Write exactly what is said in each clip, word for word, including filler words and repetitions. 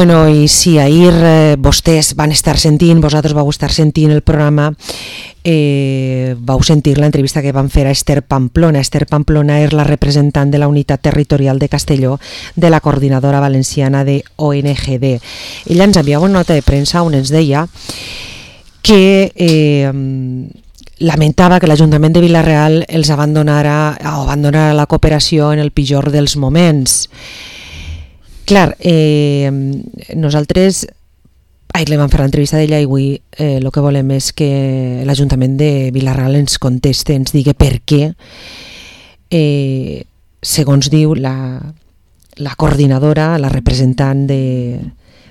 Bueno, i si ahir eh, vostès van estar sentint, vosaltres vau estar sentint el programa, eh, vau sentir l'entrevista que van fer a Esther Pamplona. Esther Pamplona és la representant de la unitat territorial de Castelló de la coordinadora valenciana de O N G D. Ella ens enviava una nota de premsa on ens deia que eh, lamentava que l'Ajuntament de Vila-real els abandonara, o abandonara la cooperació en el pitjor dels moments. Clar, eh, nosaltres ahir li vam fer l'entrevista d'ella i avui eh, el que volem és que l'Ajuntament de Vila-real ens conteste, ens digui per què, eh, segons diu la, la coordinadora, la representant de,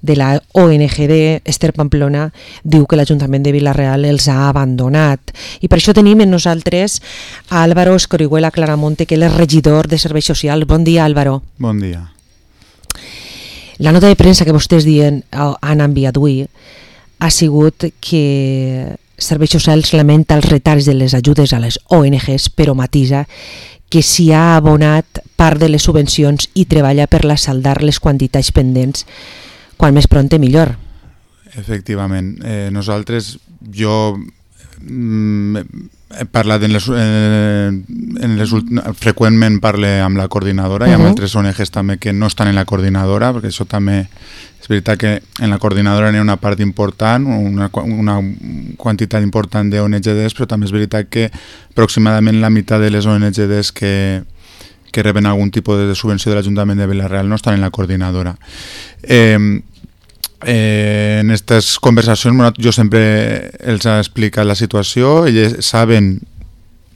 de la O N G D, Esther Pamplona, diu que l'Ajuntament de Vila-real els ha abandonat. I per això tenim en nosaltres a Álvaro Escorihuela Claramonte, que és regidor de Serveis Socials. Bon dia, Álvaro. Bon dia. La nota de premsa que vostès dient, han enviat avui ha sigut que Serveis Socials lamenta els retards de les ajudes a les O N Ges, però matisa que s'hi ha abonat part de les subvencions i treballa per la saldar les quantitats pendents, quan més prompte millor. Efectivament. Eh, nosaltres, jo mm, he parlat en les, eh, en les freqüentment parlo amb la coordinadora uh -huh. i amb altres O N Ges també que no estan en la coordinadora, perquè això també és veritat que en la coordinadora n'hi ha una part important, una, una quantitat important de O N G Ds, però també és veritat que aproximadament la meitat de les O N G Ds que, que reben algun tipus de subvenció de l'Ajuntament de Vila-real no estan en la coordinadora. Eh, Eh, en aquestes conversacions bueno, jo sempre els he explicat la situació. Ells saben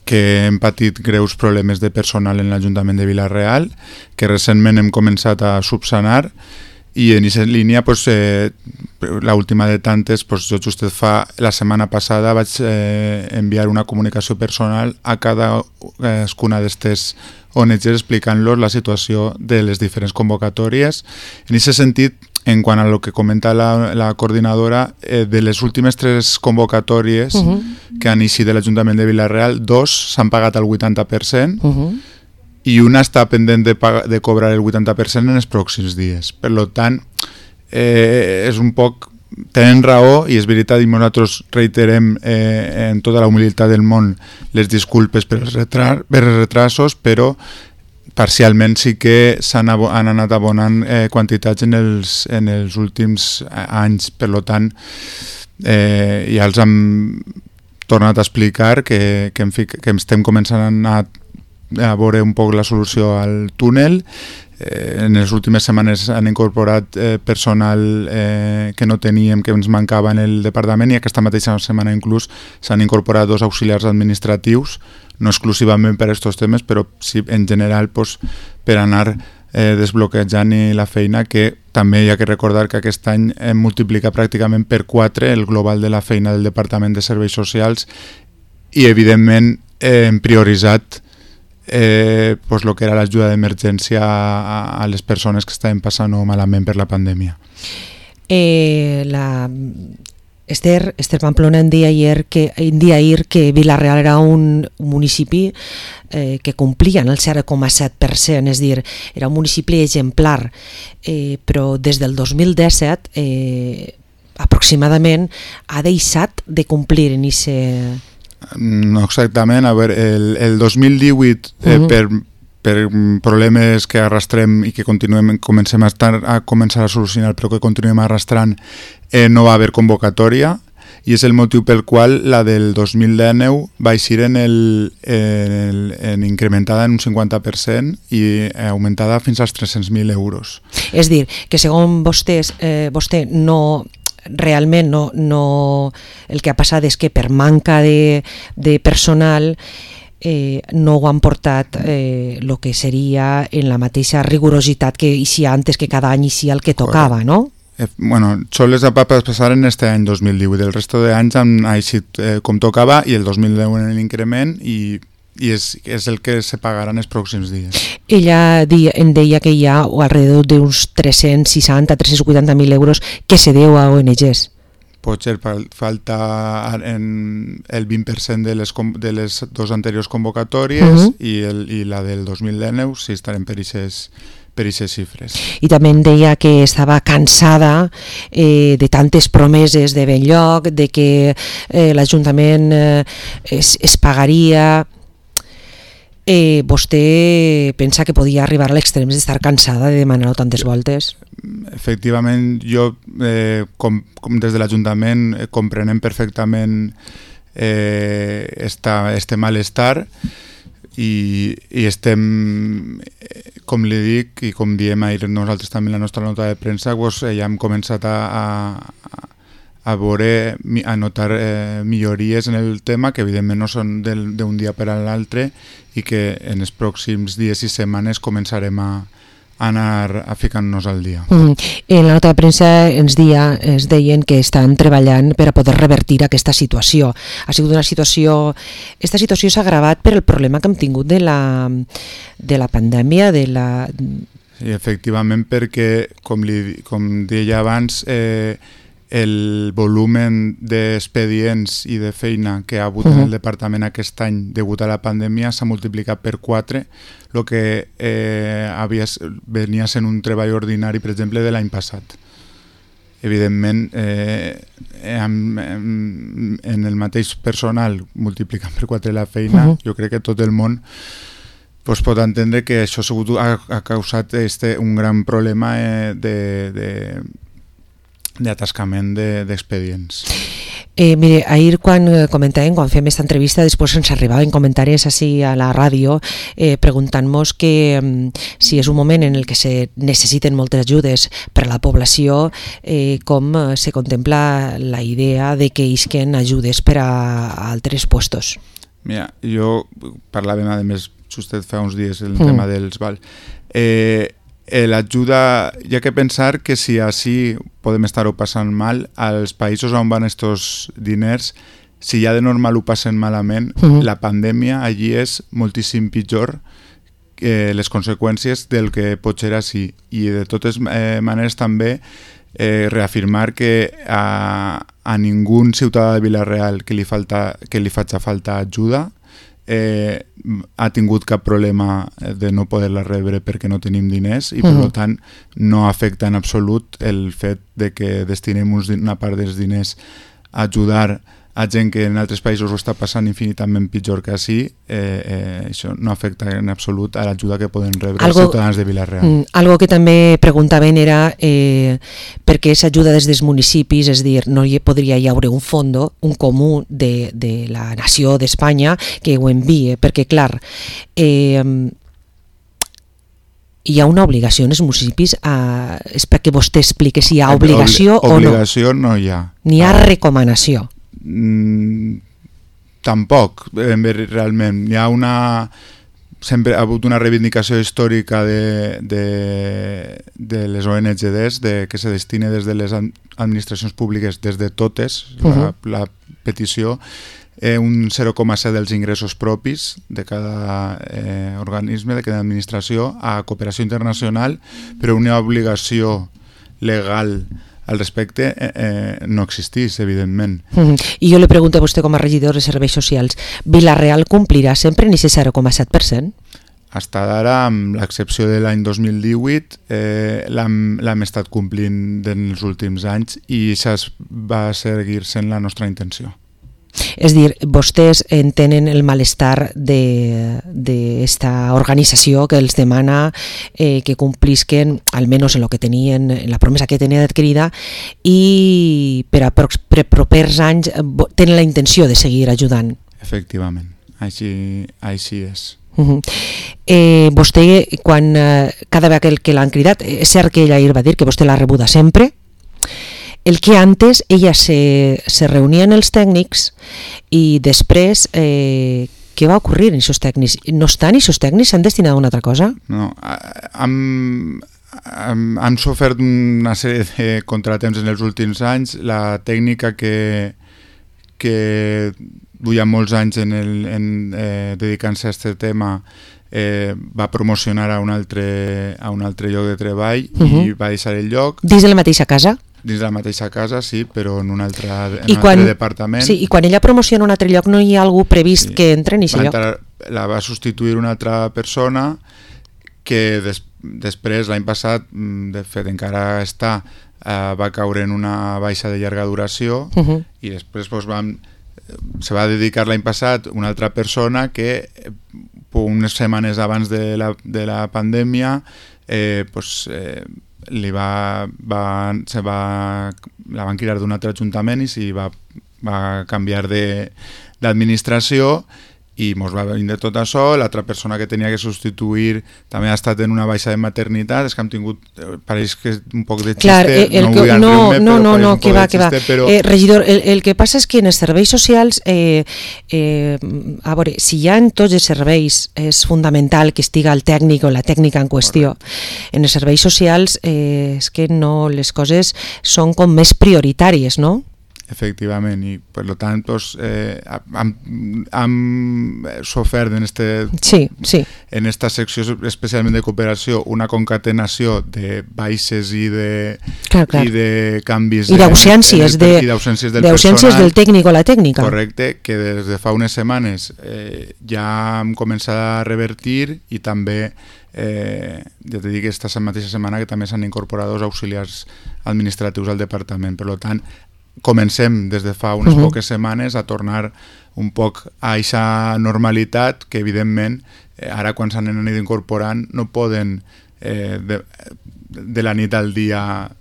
que hem patit greus problemes de personal en l'Ajuntament de Vila-real, que recentment hem començat a subsanar, i en aquesta línia pues, eh, l'última de tantes pues, jo just fa la setmana passada vaig eh, enviar una comunicació personal a cada cadascuna d'aquestes O N Ges explicant-los la situació de les diferents convocatòries. En aquest sentit, en quant a lo que comenta la, la coordinadora, eh, de les últimes tres convocatòries uh -huh. que han eixit de l'Ajuntament de Vila-real, dos s'han pagat al vuitanta per cent uh -huh. i una està pendent de, pagar, de cobrar el vuitanta per cent en els pròxims dies. Per tant, eh, és un poc... Tenen raó, i és veritat, i nosaltres reiterem eh, en tota la humilitat del món les disculpes per els, retra per els retrasos, però parcialment sí que s'han han anat abonant eh, quantitats en els, en els últims anys. Per tant, eh, ja els hem tornat a explicar que, que, que estem començant a, a veure un poc la solució al túnel. Eh, en les últimes setmanes han incorporat eh, personal eh, que no teníem, que ens mancava en el departament, i aquesta mateixa setmana inclús s'han incorporat dos auxiliars administratius, no exclusivament per a aquests temes, però sí en general pues, per anar eh, desbloquejant la feina, que també hi ha que recordar que aquest any hem multiplicat pràcticament per quatre el global de la feina del Departament de Serveis Socials, i evidentment eh, hem prioritzat eh, pues, lo que era l'ajuda d'emergència a, a les persones que estaven passant malament per la pandèmia. Eh, la... Esther, Esther Pamplona en dia ahir que, en dia ahir que Vila-real era un municipi eh, que complia el zero coma set per cent, és a dir, era un municipi exemplar, eh, però des del dos mil disset eh, aproximadament ha deixat de complir en ese... No exactament, a veure, el, el dos mil divuit eh, uh-huh. per, per problemes que arrastrem i que continuem, comencem a, estar, a començar a solucionar, però que continuem arrastrant, eh, no va haver convocatòria, i és el motiu pel qual la del dos mil dinou va eixir en, el, en, el, en incrementada en un cinquanta per cent i augmentada fins als tres-cents mil euros. És dir, que segons vostès, eh, vostè no... realment no, no, el que ha passat és que per manca de, de personal eh, no ho han portat eh, el que seria en la mateixa rigorositat que eixia antes, que cada any eixia el que tocava, no? Eh, bueno, això les va passar en este any dos mil divuit, el resto d'anys han eixit eh, com tocava, i el dos mil deu en l'increment, i i és, és el que se pagaran els pròxims dies. Ella dia, em deia que hi ha alrededor d'uns tres-cents seixanta a tres-cents vuitanta mil euros que se deu a O N Ges. Pot ser falta en el vint per cent de les, de les dos anteriors convocatòries uh-huh. i, el, i la del dos mil dinou si estarem per aquestes per aquestes xifres. I també em deia que estava cansada eh, de tantes promeses de ben lloc, de que eh, l'Ajuntament eh, es, es pagaria. Eh, vostè pensa que podia arribar a l'extrem d'estar cansada de demanar-ho tantes voltes? Efectivament, jo, eh, com, com des de l'Ajuntament, eh, comprenem perfectament eh, esta, este malestar i, i estem, com li dic i com diem ahir nosaltres també en la nostra nota de premsa, pues, eh, ja hem començat a, a, a veure, a notar eh, millories en el tema que evidentment no són d'un dia per a l'altre i que en els pròxims dies i setmanes començarem a anar a ficar-nos al dia. Mm. En la nota de premsa ens, dia, ens deien que estan treballant per a poder revertir aquesta situació. Ha sigut una situació... Esta situació s'ha agravat per el problema que hem tingut de la, de la pandèmia, de la... Sí, efectivament, perquè, com, li, com deia abans, eh, el volumen d'expedients i de feina que ha hagut uh-huh. en el departament aquest any degut a la pandèmia s'ha multiplicat per quatre, el que eh, havia, venia sent un treball ordinari, per exemple, de l'any passat. Evidentment, eh, en, en, en el mateix personal multiplicant per quatre la feina, uh-huh. jo crec que tot el món pues, pot entendre que això ha, ha causat este, un gran problema eh, de... de d'atascament d'expedients. Eh, mire, ahir quan comentàvem, quan fem aquesta entrevista, després ens arribaven comentaris així a la ràdio eh, preguntant-nos que um, si és un moment en el que se necessiten moltes ajudes per a la població, eh, com eh, se contempla la idea de que isquen ajudes per a, a altres puestos. Mira, jo parlàvem, a més, justet fa uns dies el mm. tema dels vals. Eh, Eh, l'ajuda, hi ha que pensar que si així podem estar-ho passant mal, als països on van estos diners, si ja de normal ho passen malament, uh-huh. la pandèmia allí és moltíssim pitjor que les conseqüències del que pot ser així. I de totes eh, maneres també eh, reafirmar que a, a ningú ciutadà de Vila-real que li, falta, que li faci falta ajuda Eh, ha tingut cap problema de no poder-la rebre perquè no tenim diners i per uh-huh. tant no afecta en absolut el fet de que destinem una part dels diners a ajudar a gent que en altres països ho està passant infinitament pitjor que així, eh, eh, això no afecta en absolut a l'ajuda que poden rebre algo, els ciutadans de Vila-real. Mm, algo que també preguntaven era eh, per què s'ajuda des dels municipis, és dir, no hi podria hi haure un fondo, un comú de, de la nació d'Espanya que ho envie, perquè clar, eh, hi ha una obligació en els municipis, a, és perquè vostè expliqui si hi ha obligació Obli- o no. Obligació no hi ha. N'hi ha recomanació. Mm, tampoc, realment. Hi ha una... Sempre ha hagut una reivindicació històrica de, de, de les O N G Ds de que se destine des de les administracions públiques, des de totes, uh-huh. la, la petició, eh, un zero coma set dels ingressos propis de cada eh, organisme, de cada administració, a cooperació internacional, però una obligació legal al respecte eh, eh, no existís, evidentment. Mm-hmm. I jo li pregunto a vostè com a regidor de Serveis Socials, Vila-real complirà sempre en aquest zero coma set per cent? Hasta d'ara, amb l'excepció de l'any dos mil divuit, eh, l'hem estat complint en els últims anys i això va seguir sent la nostra intenció. És dir, vostès entenen el malestar d'esta organització que els demana eh, que complisquen, almenys en, lo que tenien, en la promesa que tenien adquirida, i per a pro per propers anys tenen la intenció de seguir ajudant. Efectivament, així, així és. Uh-huh. eh, vostè, quan eh, cada vegada que l'han cridat, és cert que ella ahir va dir que vostè l'ha rebuda sempre, el que antes ella se, se reunien els tècnics i després eh, què va ocorrir en aquests tècnics? No estan aquests tècnics? S'han destinat a una altra cosa? No, han, han, han sofert una sèrie de contratemps en els últims anys. La tècnica que, que duia molts anys en el, en, eh, dedicant-se a aquest tema eh, va promocionar a un altre, a un altre lloc de treball uh-huh. i va deixar el lloc. Dins de la mateixa casa? Dins de la mateixa casa, sí, però en un altre, en I un quan, altre departament. Sí, i quan ella promociona un altre lloc no hi ha algú previst sí. que entre en aquest lloc? La va substituir una altra persona que des, després, l'any passat, de fet, encara està, eh, va caure en una baixa de llarga duració uh-huh. i després pues, vam, se va dedicar l'any passat una altra persona que unes setmanes abans de la, de la pandèmia eh, pues, eh, li va, va, se va, la van cridar d'un altre ajuntament i s'hi va, va canviar d'administració i mos va venir de tot això. L'altra persona que tenia que substituir també ha estat en una baixa de maternitat. És que hem tingut, pareix que és un poc de xiste, Clar, el no que, vull no, enriure-me, no, però no, pareix no, un que poc va, de que va. xiste, però... Eh, regidor, el, el que passa és que en els serveis socials, eh, eh, a veure, si hi ha en tots els serveis és fundamental que estiga el tècnic o la tècnica en qüestió. Correcte. En els serveis socials eh, és que no, les coses són com més prioritàries, no? Efectivament, i per tant pues, eh, hem, hem sofert en, este, sí, sí. en esta secció especialment de cooperació una concatenació de baixes i de, clar, clar. I de canvis i d'ausències de, de, del, del tècnic o la tècnica. Correcte, que des de fa unes setmanes eh, ja hem començat a revertir i també Eh, ja t'he dit que aquesta mateixa setmana que també s'han incorporat dos auxiliars administratius al departament. Per tant, comencem des de fa unes uh-huh. poques setmanes a tornar un poc a aquesta normalitat que evidentment eh, ara quan s'han anat incorporant no poden eh, de, de la nit al dia.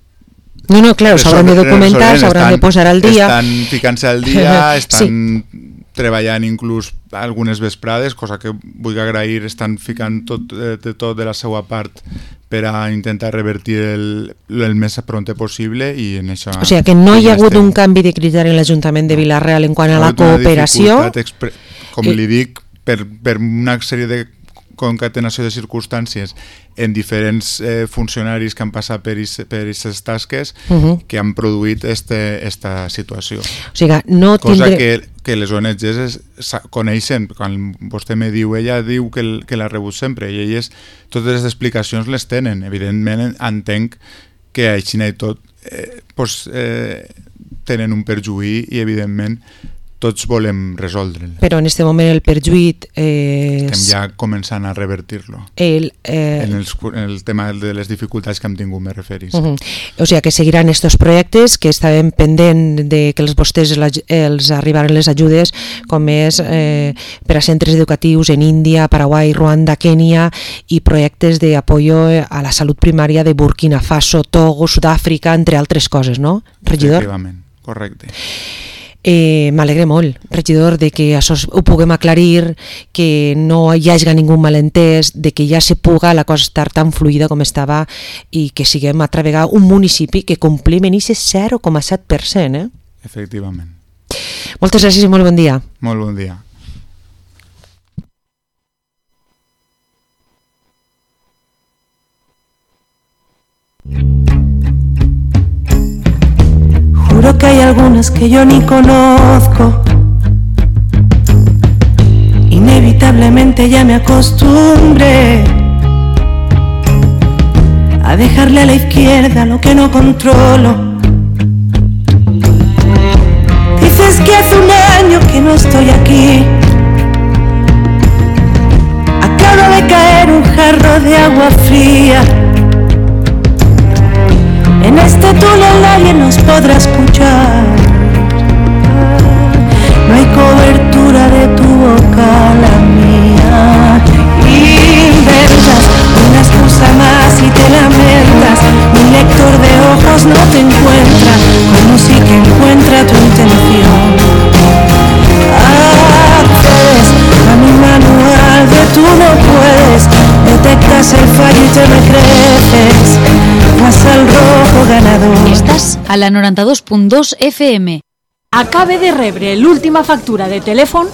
No, no, clar, s'hauran de documentar, s'hauran de posar al dia. Estan ficant-se al dia, estan sí. treballant inclús algunes vesprades, cosa que vull agrair, estan ficant tot de, de tot de la seva part per a intentar revertir el, el més pronte possible i en això... O sigui que no hi ha hagut estem... un canvi de criteri en l'Ajuntament de Vila-real en quant a la cooperació. Expre... Com eh... li dic, per, per una sèrie de concatenació de circumstàncies en diferents eh, funcionaris que han passat per aquestes tasques uh-huh. que han produït este, esta situació. O sigui, no cosa tindré... que, que les O N Ges coneixen. Quan vostè me diu, ella diu que, el, que l'ha rebut sempre i elles totes les explicacions les tenen. Evidentment entenc que així i tot eh, pues, eh, tenen un perjuí i evidentment tots volem resoldre'l. Però en aquest moment el perjuït és... Estem ja començant a revertir-lo. El, eh... en, els, en el tema de les dificultats que hem tingut, me referís. Uh-huh. O sigui que seguiran estos projectes que estaven pendent de que els vostès els arribaren les ajudes, com és eh, per a centres educatius en Índia, Paraguai, Ruanda, Kènia i projectes d'apoyo a la salut primària de Burkina Faso, Togo, Sud-àfrica, entre altres coses, no, regidor? Efectivament, correcte. Eh, M'alegre molt, regidor, de que això ho puguem aclarir, que no hi hagi ningú malentès, de que ja se puga la cosa estar tan fluida com estava i que siguem altra vegada un municipi que complim en aquest zero coma set per cent. Eh? Efectivament. Moltes gràcies i molt bon dia. Molt bon dia. Juro que hay algunas que yo ni conozco. Inevitablemente ya me acostumbré a dejarle a la izquierda lo que no controlo. Dices que hace un año que no estoy aquí. Acaba de caer un jarro de agua fría. En este túnel nadie nos podrá escuchar. No hay cobertura de tu boca, la mía. Inventas una excusa más y te lamentas. Mi lector de ojos no te encuentra, como si que encuentra tu intención. Accedes a mi manual de tú no puedes. Detectas el fallo y te me creces. Vas al rojo ganador. Estàs a la noranta-dos punt dos F M. Acabe de rebre l'última factura de telèfon